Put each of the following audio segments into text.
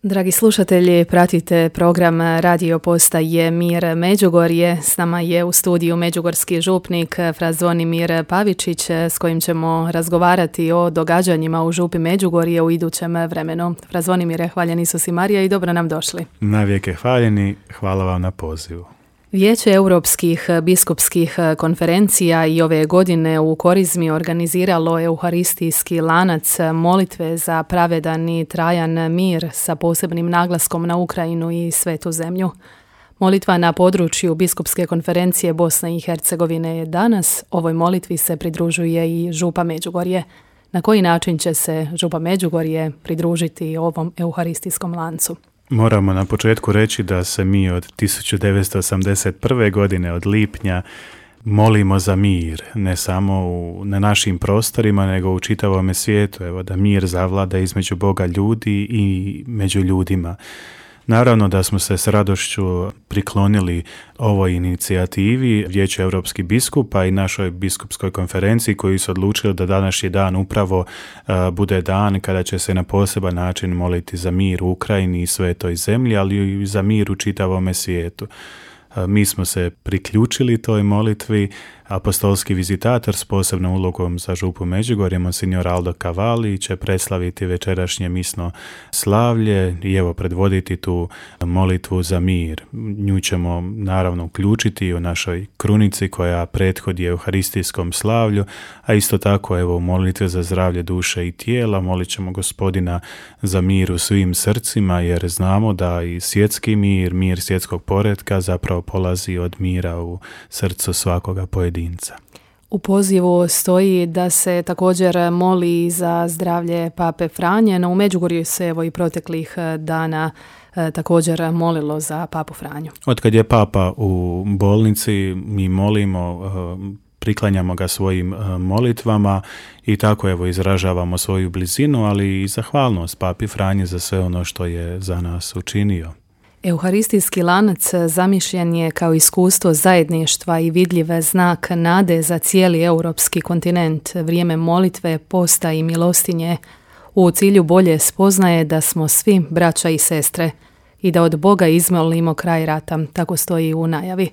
Dragi slušatelji, pratite program Radio Postaje Mir Međugorje. S nama je u studiju međugorski župnik fra Zvonimir Pavičić s kojim ćemo razgovarati o događanjima u župi Međugorje u idućem vremenu. Fra Zvonimire, hvaljen Isus i Marija i dobro nam došli. Navijek je hvaljeni, hvala vam na pozivu. Vijeće Europskih biskupskih konferencija i ove godine u Korizmi organiziralo euharistijski lanac molitve za pravedan i trajan mir sa posebnim naglaskom na Ukrajinu i Svetu zemlju. Molitva na području Biskupske konferencije Bosne i Hercegovine je danas. Ovoj molitvi se pridružuje i župa Međugorje. Na koji način će se župa Međugorje pridružiti ovom euharistijskom lancu? Moramo na početku reći da se mi od 1981. godine, od lipnja, molimo za mir, ne samo na našim prostorima, nego u čitavome svijetu. Evo, da mir zavlada između Boga ljudi i među ljudima. Naravno da smo se s radošću priklonili ovoj inicijativi Vijeću Europskih biskupa i našoj biskupskoj konferenciji koji su odlučili da današnji dan upravo bude dan kada će se na poseban način moliti za mir u Ukrajini i Svetoj zemlji, ali i za mir u čitavome svijetu. Mi smo se priključili toj molitvi. Apostolski vizitator s posebnom ulogom za župu Međugorje, monsignor Aldo Cavalli, će preslaviti večerašnje misno slavlje i evo predvoditi tu molitvu za mir. Nju ćemo naravno uključiti u našoj krunici koja prethodi euharistijskom slavlju, a isto tako evo u molitve za zdravlje duše i tijela molit ćemo Gospodina za mir u svim srcima, jer znamo da i svjetski mir, mir svjetskog poretka zapravo polazi od mira u srcu svakoga pojedinca. U pozivu stoji da se također moli za zdravlje Pape Franje, no u Međugorju se evo i proteklih dana također molilo za Papu Franju. Otkad je Papa u bolnici, mi molimo, priklanjamo ga svojim molitvama i tako evo izražavamo svoju blizinu, ali i zahvalnost Papi Franji za sve ono što je za nas učinio. Euharistijski lanac zamišljen je kao iskustvo zajedništva i vidljiv znak nade za cijeli europski kontinent, vrijeme molitve, posta i milostinje, u cilju bolje spoznaje da smo svi braća i sestre i da od Boga izmolimo kraj rata, tako stoji u najavi.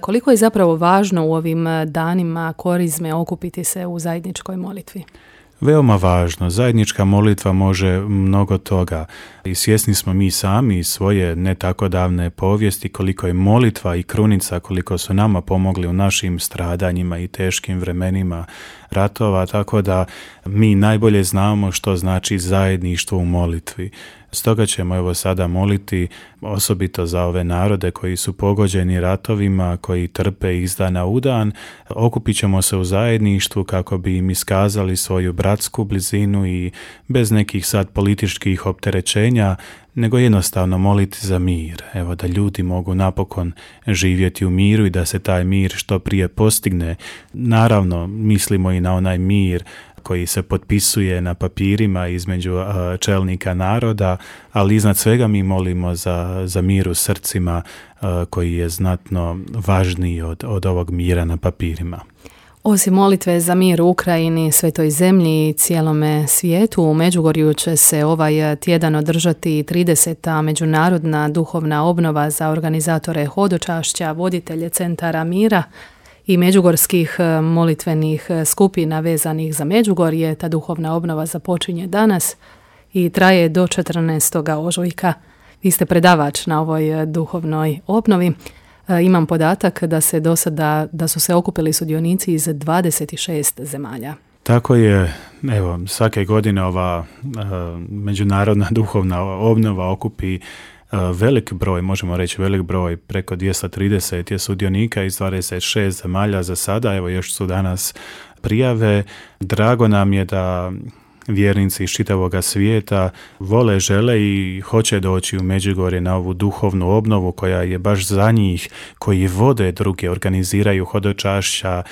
Koliko je zapravo važno u ovim danima Korizme okupiti se u zajedničkoj molitvi? Veoma važno. Zajednička molitva može mnogo toga i svjesni smo mi sami svoje ne tako davne povijesti koliko je molitva i krunica, koliko su nama pomogli u našim stradanjima i teškim vremenima ratova, tako da mi najbolje znamo što znači zajedništvo u molitvi. Stoga ćemo evo sada moliti osobito za ove narode koji su pogođeni ratovima, koji trpe iz dana u dan. Okupit ćemo se u zajedništvu kako bi im iskazali svoju bratsku blizinu i bez nekih sad političkih opterećenja, nego jednostavno moliti za mir. Evo da ljudi mogu napokon živjeti u miru i da se taj mir što prije postigne. Naravno, mislimo i na onaj mir koji se potpisuje na papirima između čelnika naroda, ali iznad svega mi molimo za mir u srcima koji je znatno važniji od ovog mira na papirima. Osim molitve za mir u Ukrajini, Svetoj zemlji i cijelome svijetu, u Međugorju će se ovaj tjedan održati 30. međunarodna duhovna obnova za organizatore hodočašća, voditelje centara mira i međugorskih molitvenih skupina vezanih za Međugorje. Ta duhovna obnova započinje danas i traje do 14. ožujka. Vi ste predavač na ovoj duhovnoj obnovi. Imam podatak da su se okupili sudionici iz 26 zemalja. Tako je, evo, svake godine ova međunarodna duhovna obnova okupi velik broj, možemo reći velik broj, preko 230 je sudionika iz 26 zemalja za sada, evo još su danas prijave. Drago nam je da vjernici iz čitavoga svijeta vole, žele i hoće doći u Međugorje na ovu duhovnu obnovu koja je baš za njih, koji vode druge, organiziraju hodočašća,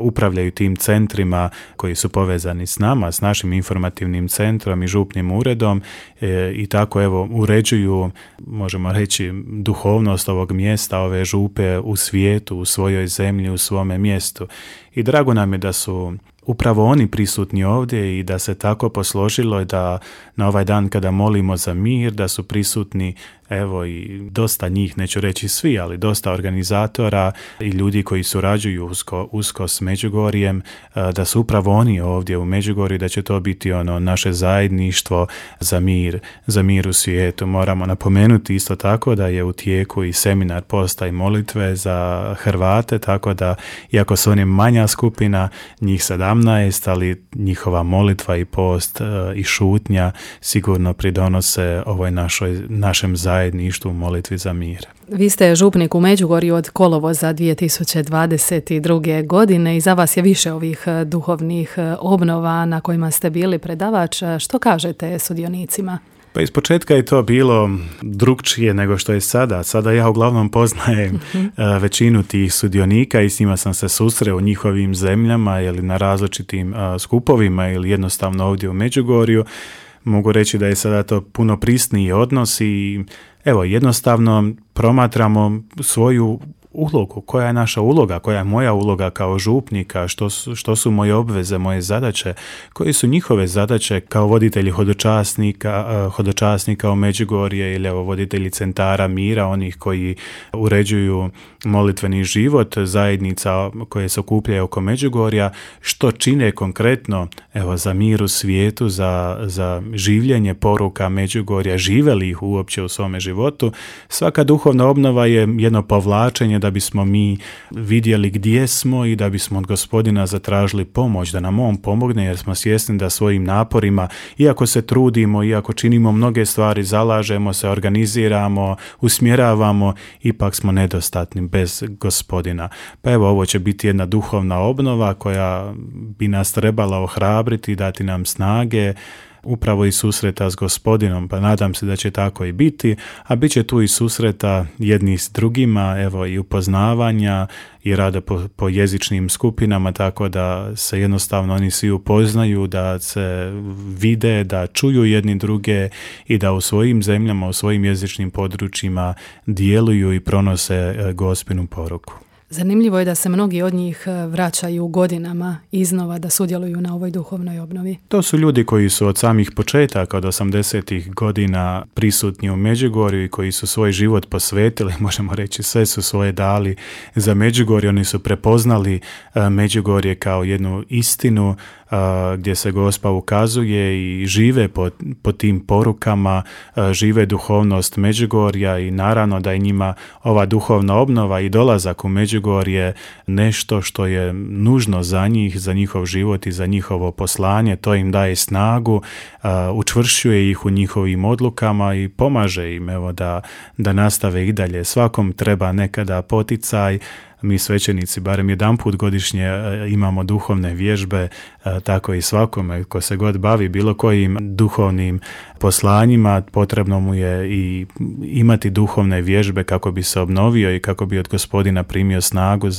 upravljaju tim centrima koji su povezani s nama, s našim informativnim centrom i župnim uredom i tako evo uređuju, možemo reći, duhovnost ovog mjesta, ove župe u svijetu, u svojoj zemlji, u svome mjestu. I drago nam je da su upravo oni prisutni ovdje i da se tako posložilo da na ovaj dan kada molimo za mir, da su prisutni evo i dosta njih, neću reći svi, ali dosta organizatora i ljudi koji surađuju usko s Međugorjem, da su upravo oni ovdje u Međugorju, da će to biti naše zajedništvo za mir u svijetu. Moramo napomenuti isto tako da je u tijeku i seminar posta i molitve za Hrvate, tako da iako su oni manja skupina, njih 17, ali njihova molitva i post i šutnja sigurno pridonose ovoj našem zajedništvu u molitvi za mir. Vi ste župnik u Međugorju od kolovoza 2022. godine i za vas je više ovih duhovnih obnova na kojima ste bili predavač. Što kažete sudionicima? Pa ispočetka je to bilo drukčije nego što je sada. Sada ja uglavnom poznajem većinu tih sudionika i s njima sam se susreo u njihovim zemljama ili na različitim skupovima ili jednostavno ovdje u Međugorju. Mogu reći da je sada to puno prisniji odnos i evo jednostavno promatramo svoju ulogu, koja je naša uloga, koja je moja uloga kao župnika, što su moje obveze, moje zadaće, koje su njihove zadaće kao voditelji hodočasnika u Međugorje ili evo voditelji centara mira, onih koji uređuju molitveni život, zajednica koje se okupljaju oko Međugorja, što čine konkretno evo za mir u svijetu, za življenje poruka Međugorja, žive li ih uopće u svome životu. Svaka duhovna obnova je jedno povlačenje da bismo mi vidjeli gdje smo i da bismo od Gospodina zatražili pomoć, da nam on pomogne, jer smo svjesni da svojim naporima, iako se trudimo, iako činimo mnoge stvari, zalažemo se, organiziramo, usmjeravamo, ipak smo nedostatni bez Gospodina. Pa evo, ovo će biti jedna duhovna obnova koja bi nas trebala ohrabriti, dati nam snage, upravo i susreta s Gospodinom, pa nadam se da će tako i biti, a bit će tu i susreta jedni s drugima, evo i upoznavanja i rada po jezičnim skupinama, tako da se jednostavno oni svi upoznaju, da se vide, da čuju jedni druge i da u svojim zemljama, u svojim jezičnim područjima djeluju i pronose Gospinu poruku. Zanimljivo je da se mnogi od njih vraćaju godinama iznova da sudjeluju na ovoj duhovnoj obnovi. To su ljudi koji su od samih početaka, od 80-ih godina prisutni u Međugorju i koji su svoj život posvetili, možemo reći sve su svoje dali za Međugorje. Oni su prepoznali Međugorje kao jednu istinu gdje se Gospa ukazuje i žive po tim porukama, žive duhovnost Međugorja i naravno da je njima ova duhovna obnova i dolazak u Međugorje nešto što je nužno za njih, za njihov život i za njihovo poslanje. To im daje snagu, učvršćuje ih u njihovim odlukama i pomaže im evo, da nastave i dalje. Svakom treba nekada poticaj. Mi svećenici barem jedanput godišnje imamo duhovne vježbe, tako i svakome ko se god bavi bilo kojim duhovnim poslanjima, potrebno mu je i imati duhovne vježbe kako bi se obnovio i kako bi od Gospodina primio snagu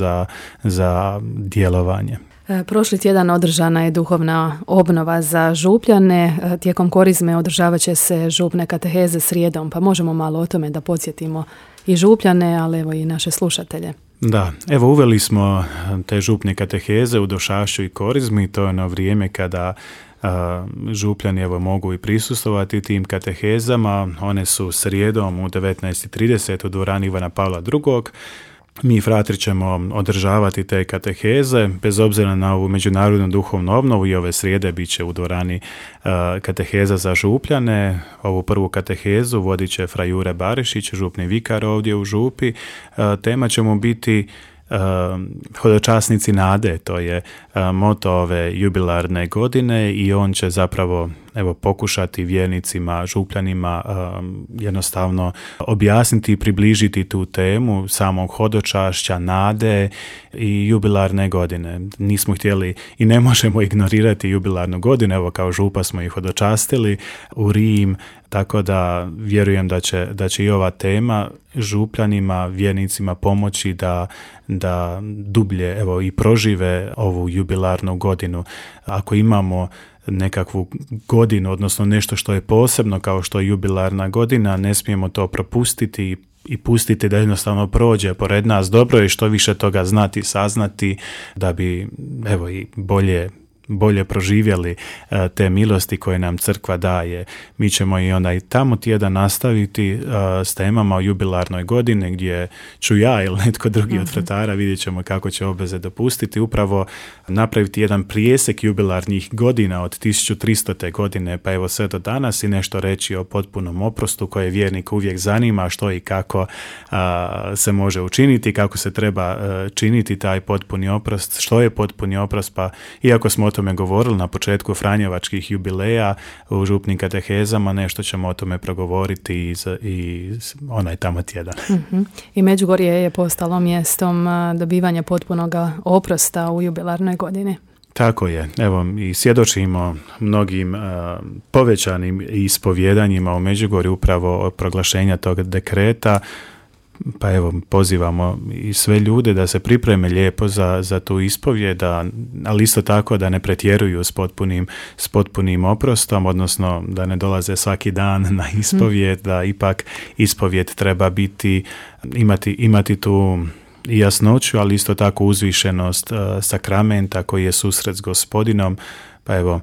za djelovanje. Prošli tjedan održana je duhovna obnova za župljane. Tijekom korizme održavat će se župne kateheze srijedom, pa možemo malo o tome da podsjetimo i župljane, ali evo i naše slušatelje. Da, evo uveli smo te župne kateheze u došašću i korizmi, to je ono vrijeme kada župljani evo mogu i prisustvovati tim katehezama. One su srijedom u 19:30 u dvorani Ivana Pavla II. Mi fratri ćemo održavati te kateheze, bez obzira na ovu međunarodnu duhovnu obnovu i ove srijede bit će u dvorani kateheza za župljane. Ovu prvu katehezu vodit će fra Jure Barišić, župni vikar ovdje u župi. Tema će mu biti hodočasnici nade, to je moto ove jubilarne godine i on će zapravo pokušati vjernicima, župljanima jednostavno objasniti i približiti tu temu samog hodočašća, nade i jubilarne godine. Nismo htjeli i ne možemo ignorirati jubilarnu godinu, evo kao župa smo ih hodočastili u Rim, tako da vjerujem da će i ova tema župljanima, vjernicima pomoći da dublje i prožive ovu jubilarnu godinu. Ako imamo nekakvu godinu, odnosno nešto što je posebno kao što je jubilarna godina, ne smijemo to propustiti i pustiti da jednostavno prođe pored nas. Dobro je što više toga znati, saznati, da bi i bolje bolje proživjeli te milosti koje nam crkva daje. Mi ćemo i onaj tamo tjedan nastaviti s temama o jubilarnoj godini, gdje ću ja ili netko drugi od fratara, vidjet ćemo kako će obveze dopustiti, upravo napraviti jedan prijesek jubilarnih godina od 1300. godine pa evo sve do danas i nešto reći o potpunom oprostu koje vjernik uvijek zanima što i kako se može učiniti, kako se treba činiti taj potpuni oprost, što je potpuni oprost, pa iako smo o tome govorili na početku franjevačkih jubileja u župnim katehezama, nešto ćemo o tome progovoriti i onaj tamo tjedan. I Međugorje je postalo mjestom dobivanja potpunog oprosta u jubilarnoj godini. Tako je. Evo, i svjedočimo mnogim povećanim ispovjedanjima u Međugorju upravo od proglašenja tog dekreta. Pa evo, pozivamo i sve ljude da se pripreme lijepo za tu ispovjed, ali isto tako da ne pretjeruju s potpunim oprostom, odnosno da ne dolaze svaki dan na ispovjed, da ipak ispovjed treba imati tu i jasnoću, ali isto tako uzvišenost sakramenta koji je susret s Gospodinom, pa evo,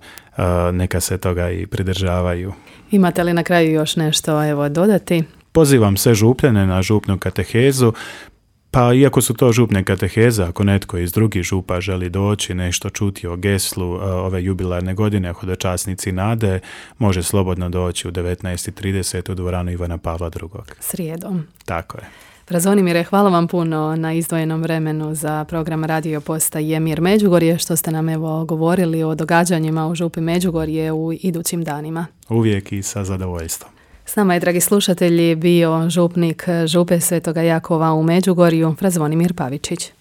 neka se toga i pridržavaju. Imate li na kraju još nešto dodati? Pozivam sve župljane na župnu katehezu, pa iako su to župne kateheze, ako netko iz drugih župa želi doći nešto čuti o geslu ove jubilarne godine, hodočasnici nade, može slobodno doći u 19:30 u dvoranu Ivana Pavla II. Srijedom. Tako je. Zvonimire, hvala vam puno na izdvojenom vremenu za program Radio Postaje Mir Međugorje, što ste nam govorili o događanjima u župi Međugorje u idućim danima. Uvijek i sa zadovoljstvom. S nama je, dragi slušatelji, bio župnik župe Svetoga Jakova u Međugorju, fra Zvonimir Pavičić.